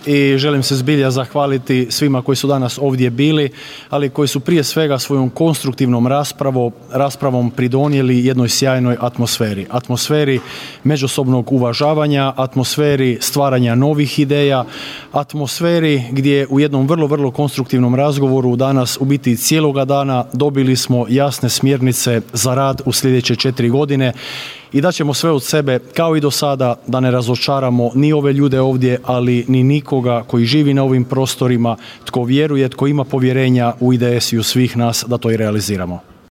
i želim se zbilja zahvaliti svima koji su danas ovdje bili, ali koji su prije svega svojom konstruktivnom raspravom pridonijeli jednoj sjajnoj atmosferi. Atmosferi međusobnog uvažavanja, atmosferi stvaranja novih ideja, atmosferi gdje u jednom vrlo, vrlo konstruktivnom razgovoru danas u biti cijeloga dana dobili smo jasne smjernice za rad u sljedeće 4 godine i da ćemo sve od sebe, kao i do sada, da ne razočaramo ni ove ljude ovdje, ali ni nikoga koji živi na ovim prostorima, tko vjeruje, tko ima povjerenja u IDS i u svih nas da to i realiziramo.